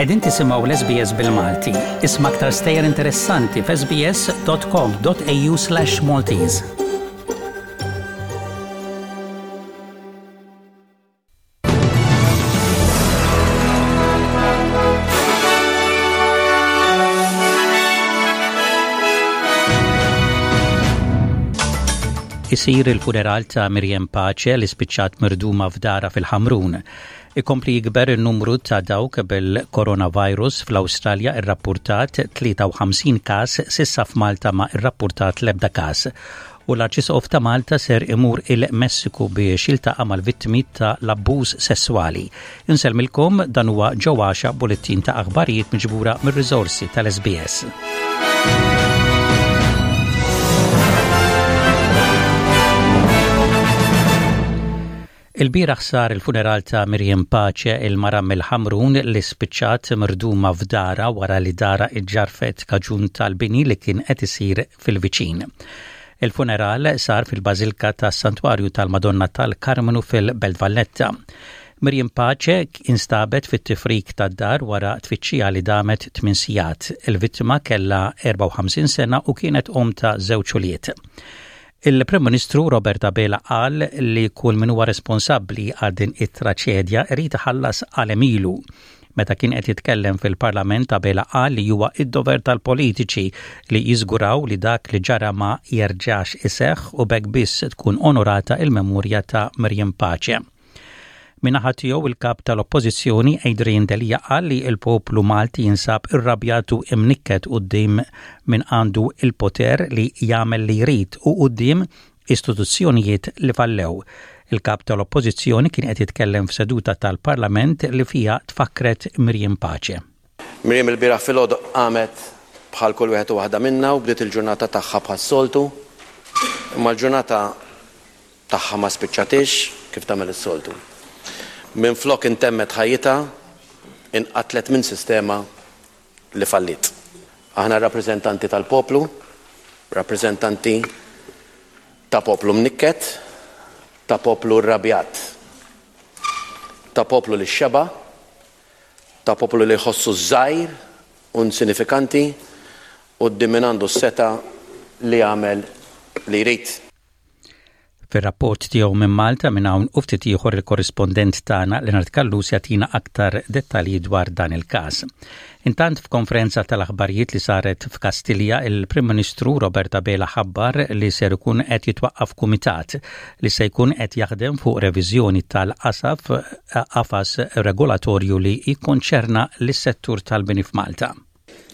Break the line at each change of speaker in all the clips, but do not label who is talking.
Qegħdin tisimgħu l-SBS bil-Malti. Isma' aktar stejjer interessanti f'sbs.com.au/Maltese. Isir il-funeral ta' Miriam Pace li spiċċat mirduma f'dara fil-Ħamrun. Ikompli jikber in-numru ta' dawk bil-coronavirus fl-Awstralja irrappurtat 53 każ s'issa f'Malta ma irrappurtat l-ebda każ. U l-Arċisqof ta' Malta ser imur il-Messiku biex jiltaqa' mal-vittmi ta' l-abbuż sesswali. Insellmilkom dan huwa ġo għaxa bulettin ta' aħbarijiet miġbura mir-riżorsi tal-SBS. Ilbieraħ sar il-funeral ta' Miriam Pace, il-mara mill-Ħamrun li spiċċat mirduma f'darha wara li darha iġġarfet kaġun tal-bini li kien qed isir fil-viċin. Il-funeral sar fil-Bażilka tas-Santwarju tal-Madonna tal-Karmnu fil-Belt Valletta. Miriam Pace instabet fit-tifrik tad-dar wara tfittxija li damet tmien sigħat. Il-vittma kellha 54 sena u kienet omm ta' żewġ ulied. Il-Prim Ministru Robert Abela qal li kull min huwa responsabbli għal din it-traċedja irid iħallas għal għemilu. Meta kien qed jitkellem fil-Parlament Abela qal li huwa id-dover tal-politiċi li jiżguraw li dak li ġara ma jerġax iseħħ u b'hekk biss tkun onorata il-memorja ta' Miriam Pace. Min-naħa tiegħu il-Kap tal-Oppożizzjoni Adrian Delia qal li l-poplu Malti jinsab irrabjat u imnikket quddiem min għandu l-poter li jagħmel li jrid u quddiem istituzzjonijiet li fallew. Il-Kap tal-Oppożizzjoni kien qed jitkellem f'seduta tal-Parlament li fiha tfakkret Miriam Pace.
Miriam ilbieraħ filgħodu qamet bħal kull wieħed u waħda minna u bdiet il-ġurnata tagħha bħas-soltu. Imma l-ġurnata tagħha ma spiċċatiex kif tagħmel is-soltu. Minflok intemmet ħajjitha, inqatlet minn sistema li falliet. Aħna rappreżentanti tal-poplu, rappreżentanti ta' poplu mnikket, ta' poplu rrabjat, ta' poplu li xeba', ta' poplu li jħossu żgħir u insinifikanti quddiem min għandu s-setgħa li jagħmel li jrid.
Fir-rapport tiegħu minn Malta minn hawn u ftit ieħor il-korrispondent tagħna Leonard Callus jagħtina aktar dettalji dwar dan il-każ. Intant f'konferenza tal-aħbarijiet li saret f'Kastilja, il-Prim Ministru Robert Abela ħabbar li ser ikun qed jitwaqqaf kumitat li se jkun qed jaħdem fuq reviżjoni tal-qasaf qafas regolatorju li jikkonċerna lis-settur tal-bini f'Malta.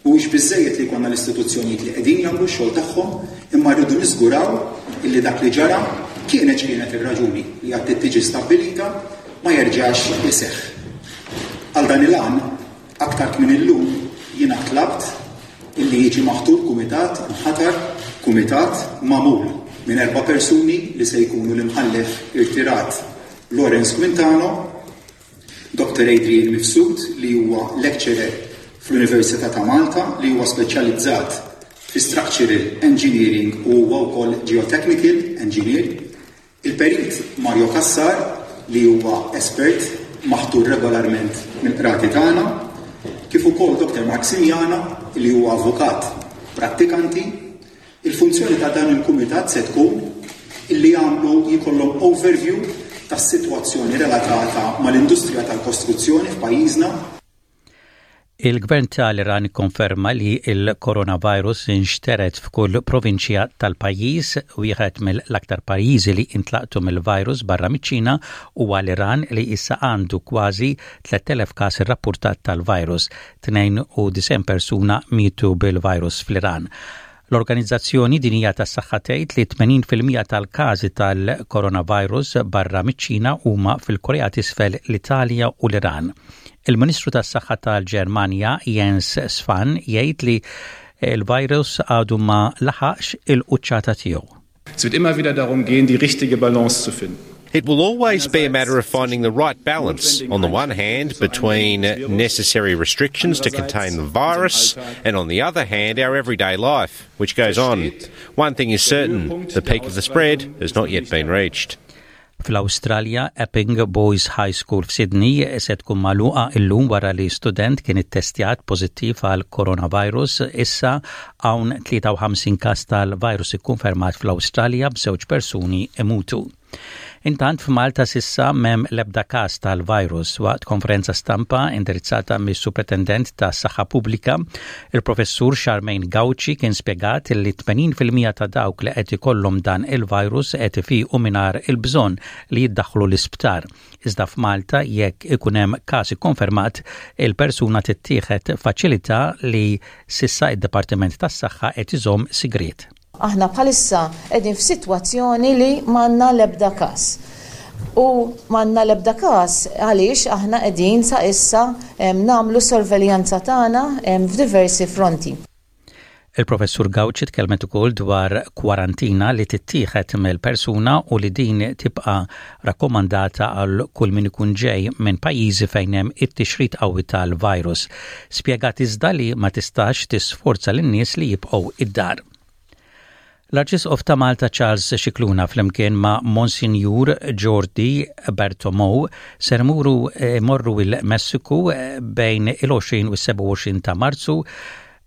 Mhuwiex biżżejjed li jkollna l-istituzzjonijiet li qegħdin jagħmlu x-xogħol tagħhom imma rridu niżguraw illi dak li ġara, kienet x'kienet ir-raġuni li għad trid tiġi stabbilita, ma jerġax iseħħ. Għal dan il-għan, aktar kmieni llum jiena tlabt illi jiġi maħtur kumitat, inħatar kumitat magħmul minn erba' persuni li se jkunu l-Imħallef irtirat Lawrence Quintano, Dottor Adrian Mifsud li huwa lecturer fl-Università ta' Malta li huwa speċjalizzat fi Structural Engineering u huwa wkoll Geotechnical Engineer, il-Perit Mario Cassar li huwa espert maħtur regolarment mill-Qrati tagħna, kif ukoll Dottor Mark Simiana li huwa avukat prattikanti Il-funzjoni ta' dan il-kumitat se tkun illi jagħmlu jkollhom overview tas-sitwazzjoni relatata mal-industrija tal-kostruzzjoni f'pajjiżna.
Il-Gvern tal-Iran ikkonferma li l-coronavirus inxtered f'kull provinċja tal-pajjiż. Wieħed mill-aktar pajjiżi li intlaqtu mill-virus barra miċ-Ċina huwa l-Iran li issa għandu kważi 3,000 każ irrappurtat tal-virus. 92 persuna mietu bil-virus fl-Iran. L-Organizzazzjoni Dinjija tas-Saħħa tgħid li 80 fil-mija tal-każi tal-coronavirus barra miċ-Ċina huma fil-Korea t'Isfel, l-Italja u l-Iran. Il-Ministru tas-Saħħa tal-Ġermanja Jens Spahn jgħid li l-virus għadu ma laħaqx il-quċċata tiegħu.
Es wird immer wieder darum gehen, die richtige Balance zu finden.
It will always be a matter of finding the right balance, on the one hand, between necessary restrictions to contain the virus, and on the other hand, our everyday life, which goes on. One thing is certain the peak of the spread has not yet been reached.
Fl-Awstralja, Epping Boys High School f'Sydney se tkun magħluqa illum wara li student kien ittestjat pożittiv għal coronavirus. Issa hawn 53 każ tal-virus ikkonfermat fl-Awstralja b'żewġ persuni imutu. Intant f'Malta s'issa m'hemm l-ebda każ tal-virus. Waqt konferenza stampa indirizzata mis-Supretendent tas-Saħħa Pubblika, il-Professur Charmaine Gauci kien spjegat li 80% ta' dawk li qed ikollhom dan il-virus qed ifiqu mingħajr il-bżonn li jiddaħħlu l-isptar. Iżda f'Malta jekk ikun hemm każ ikkonfermat, il-persuna tittieħed f'faċilità li s'issa id-Dipartiment tas-Saħħa qed iżomm sigriet.
Aħna bħalissa qegħdin f'sitwazzjoni li m'għandna l-ebda każ. U m'għandna l-ebda każ għaliex aħna qegħdin sa issa nagħmlu s-sorveljanza tagħna f'diversi fronti.
Il-Professur Gauci tkellmet ukoll dwar kwarantina li tittieħed mill-persuna u li din tibqa' rakkomandata għal kull min ikun ġej minn pajjiżi fejn hemm it-tixrid qawwi tal-virus. Spjegat iżda li ma tistax tisforza lin-nies li jibqgħu id-dar. L-Arċisqof ta' Malta Charles Scicluna flimkien ma' Monsinjur Jordi Bertomeu ser imuru imorru il-Messiku bejn il-20 u s-27 ta' Marzu.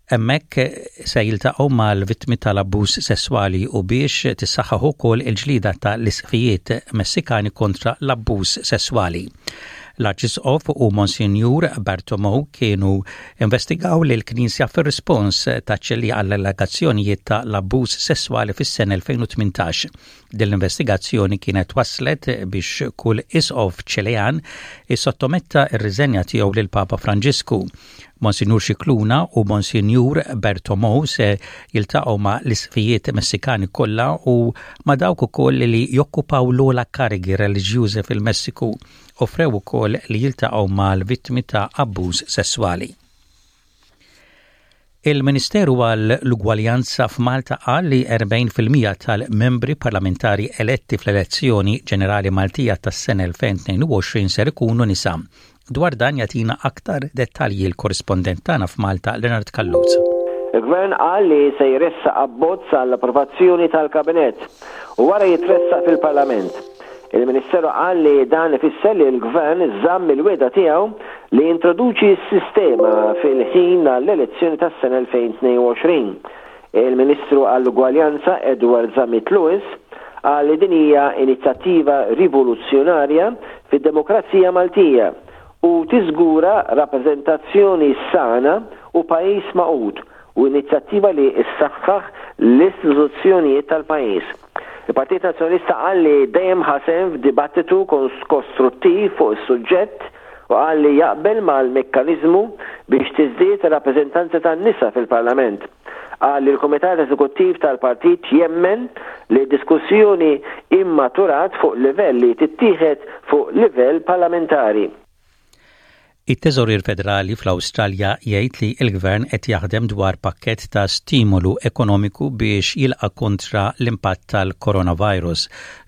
Hemmhekk se jiltaqgħu mal-vittmi tal-abbuż sesswali u biex tissaħħaħ ukoll il-ġlieda ta' l-isqfijiet Messikani kontra l-abbuż sesswali. L-Arċisqof u Monsinjur Bartomeu kienu investigaw lill-Knisja fir-rispons ta' Ċilì għall-allegazzjonijiet ta' l-abbuż sesswali fis-sena 2018. Din l-investigazzjoni kienet wasslet biex kull isqof Ċilean issottometta r-riżenja tiegħu lill-Papa Franġisku. Monsinjur Scicluna u Monsinjur Bertomeu se jiltaqgħu ma' l-isqfijiet Messikani kollha u ma' dawk ukoll li jokkupaw l-ogħla karigi reliġjużi fil-Messiku. Offrew ukoll li jiltaqgħu mal-vittmi ta' abbuż sesswali. Il-Ministeru għal l-Ugwaljanza f'Malta qal li 40% tal-membri parlamentari eletti fl-elezzjoni ġenerali Maltija tas-sena 2022 ser ikunu nisa. Dwar dan jagħtina aktar dettalji l-korrispondent tagħna f'Malta Leonard Callus.
Il-Gvern qal li se jressaq abbozz għall-approvazzjoni tal-Kabinett u wara jitressaq fil-Parlament. Il-Ministeru qal li dan ifisser li l-Gvern żamm il-wegħda tiegħu li jintroduċi s-sistema fil-ħin għall-elezzjoni tas-sena 2022. Il-Ministru għall-Ugwaljanza Edward Zammit Lewis qal li din hija inizjattiva rivoluzzjonarja fid-demokrazija Maltija u tiżgura rappreżentazzjoni sana u pajjiż magħqud u inizjattiva li ssaħħaħ l-istituzzjonijiet tal-pajjiż. Il-Partit Nazzjonalista qal li dejjem ħa sehem f'dibattitu kostruttiv fuq is-suġġett u qal li jaqbel mal-mekkaniżmu biex tiżdied ir-rappreżentanza tan-nisa fil-Parlament. Qal li l-Kumitat Eżekuttiv tal-Partit jemmen li d-diskussjoni immaturat fuq livell li tittieħed fuq livell parlamentari.
It-Teżorier Federali fl-Awstralja jgħid li l-Gvern qed jaħdem dwar pakkett ta' stimolu ekonomiku biex jilqa' kontra l-impatt tal-coronavirus.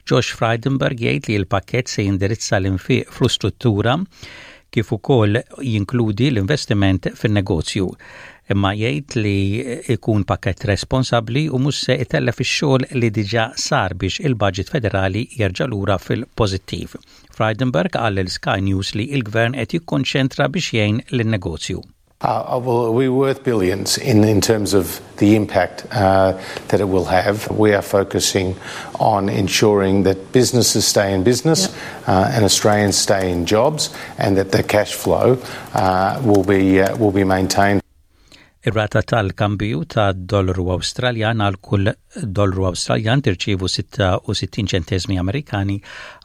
Josh Frydenberg jgħid li l-pakkett se jindirizza l-infiq fl-istruttura kif ukoll jinkludi l-investiment fin-negozju. Imma jgħid li jkun pakkett responsabbli u mhux se itellef ix-xogħol li diġà sar biex il-budget federali jerġa' lura fil-pożittiv. Frydenberg qal lil Sky News li l-Gvern qed jikkonċentra biex jgħin lin-negozju.
Uh, well, we're worth billions in, in terms of the impact uh, that it will have. We are focusing on ensuring that businesses stay in business yep. uh, and Australians stay in jobs and that the cash flow uh, will, be, uh, will be maintained.
Ir-rata tal-kambju ta' dollaru Awstraljan għal kull dollaru Awstraljan tirċievu 66 ċenteżmi Amerikani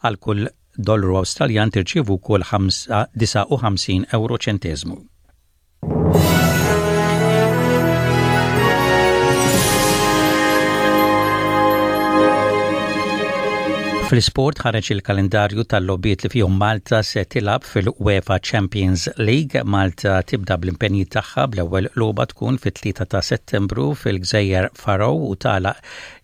għal kull dollaru Awstraljan tirċievu wkoll 59 euro ċenteżmu. Fl-isport ħareġ il-kalendarju tal-logħbiet li fihom Malta se tilgħab fil-UEFA Champions League. Malta tibda bl-impenji tagħha bl-ewwel logħba tkun fit-3 ta' Settembru fil-Gżejjer Faroe u tagħlaq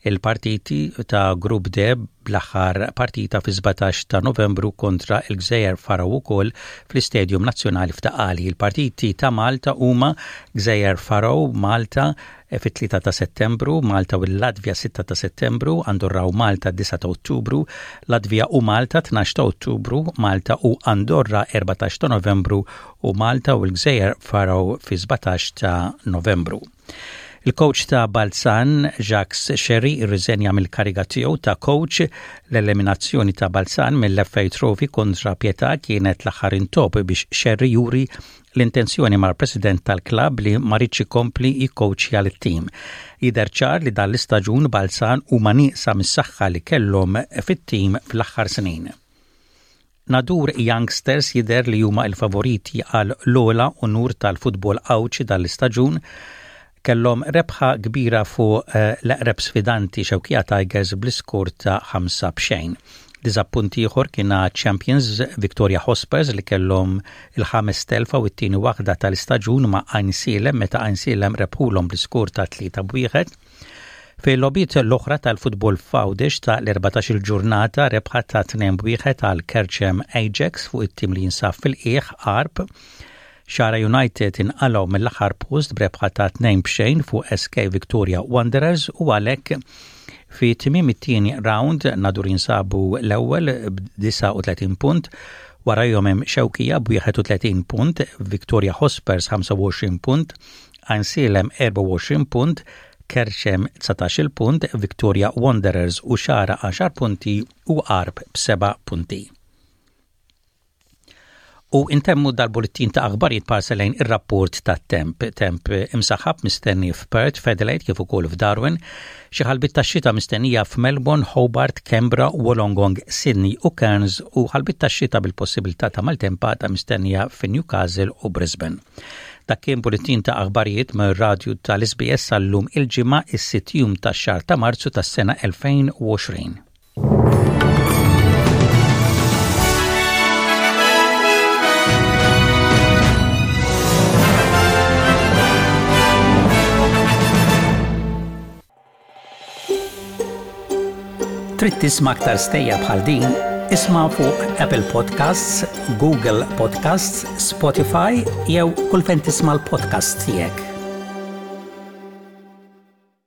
il-partiti ta' Grupp D bl-aħħar partita fi-17 ta' Novembru kontra l-Gżejjer Faroe ukoll fl-Istadium Nazzjonali f'Ta' Qali. Il-partiti ta' Malta huma Gżejjer Faroe, Malta, fit-3 ta' Settembru, Malta u l-Latvja 6 ta' Settembru, Andorra u Malta 9 ta' Ottubru, Latvja u Malta 12 ta' Ottubru, Malta u Andorra 14 ta' Novembru u Malta u l-Gżejjer Faroe fi 17 ta' Novembru. Il-coach ta' Balzan, Jacques Scerri, irriżenja mill-kariga tiegħu ta' coach. L-eliminazzjoni ta' Balzan mill-FA Trophy kontra Pietà kienet l-aħħar intopp biex Scerri juri l-intenzjoni mal-president tal-klabb li ma riedx ikompli jikkowċja lit-tim. Jidher ċar li dan l-istaġun Balzan huma nieqsa mis-saħħa li kellhom fit-tim fl-aħħar snin. Nadur Youngsters jidher li huma l-favoriti għal l-ogħla unur tal-futbol Għawdxi dan l-istaġun. Kellhom rebħa kbira fuq eh, l-eqreb sfidanti Xewkija Tigers bl-iskor ta' 5 b'xejn. Diżappunt ieħor kien Champions Victoria Hospers li kellhom il-ħames telfa u t-tieni waħda tal-istaġun ma' Għajnsielem meta Għajnsielem rebħulhom bl-iskor ta' 3 b'wieħed. Fil-logħbiet l-oħra tal-futbol f'Għawdex ta' l-14 il-ġurnata rebħa ta' 2 b'wieħed għal Kerċem Ajax fuq it-tim li jinsab fil-qiegħ Għarb. Xagħra United inqalgħu mill-aħħar post b'rebħa ta' 2 b'xejn fuq SK Victoria Wanderers u għalhekk fi tmiem it-tieni round Nadur jinsabu l-ewwel b'39 punt warajhom hemm Xewkija b'31 punt, Victoria Hotspurs 25 punt, Għajnsielem 24 punt, Kerċem 19-il punt, Victoria Wanderers u Xagħra għaxar punti u Għarb b'seba' punti. U intemmu dal-bullettin ta' aħbarijiet parsa lejn ir-rapport tat-temp. Temp imsaħħab mistenni f'Perth, f'Adelaide kif ukoll f'Darwin. Xi ħalbiet tax-xita mistennija f'Melbourne, Hobart, Canberra, Wollongong, Sydney u Cairns u ħalbiet tax-xita bil-possibilità ta' maltempata mistennija fi Newcastle u Brisbane. Dak kien bulletin ta' aħbarijiet mir-radju tal-SBS għal-lum il-Ġimgħa is-sitt jum tax-xahar ta' Marzu tas-sena 2020. Trid tisma' aktar stejjer bħal din? Isma' fuq Apple Podcasts, Google Podcasts, Spotify jew kull fejn tisma' l-podcasts tiegħek.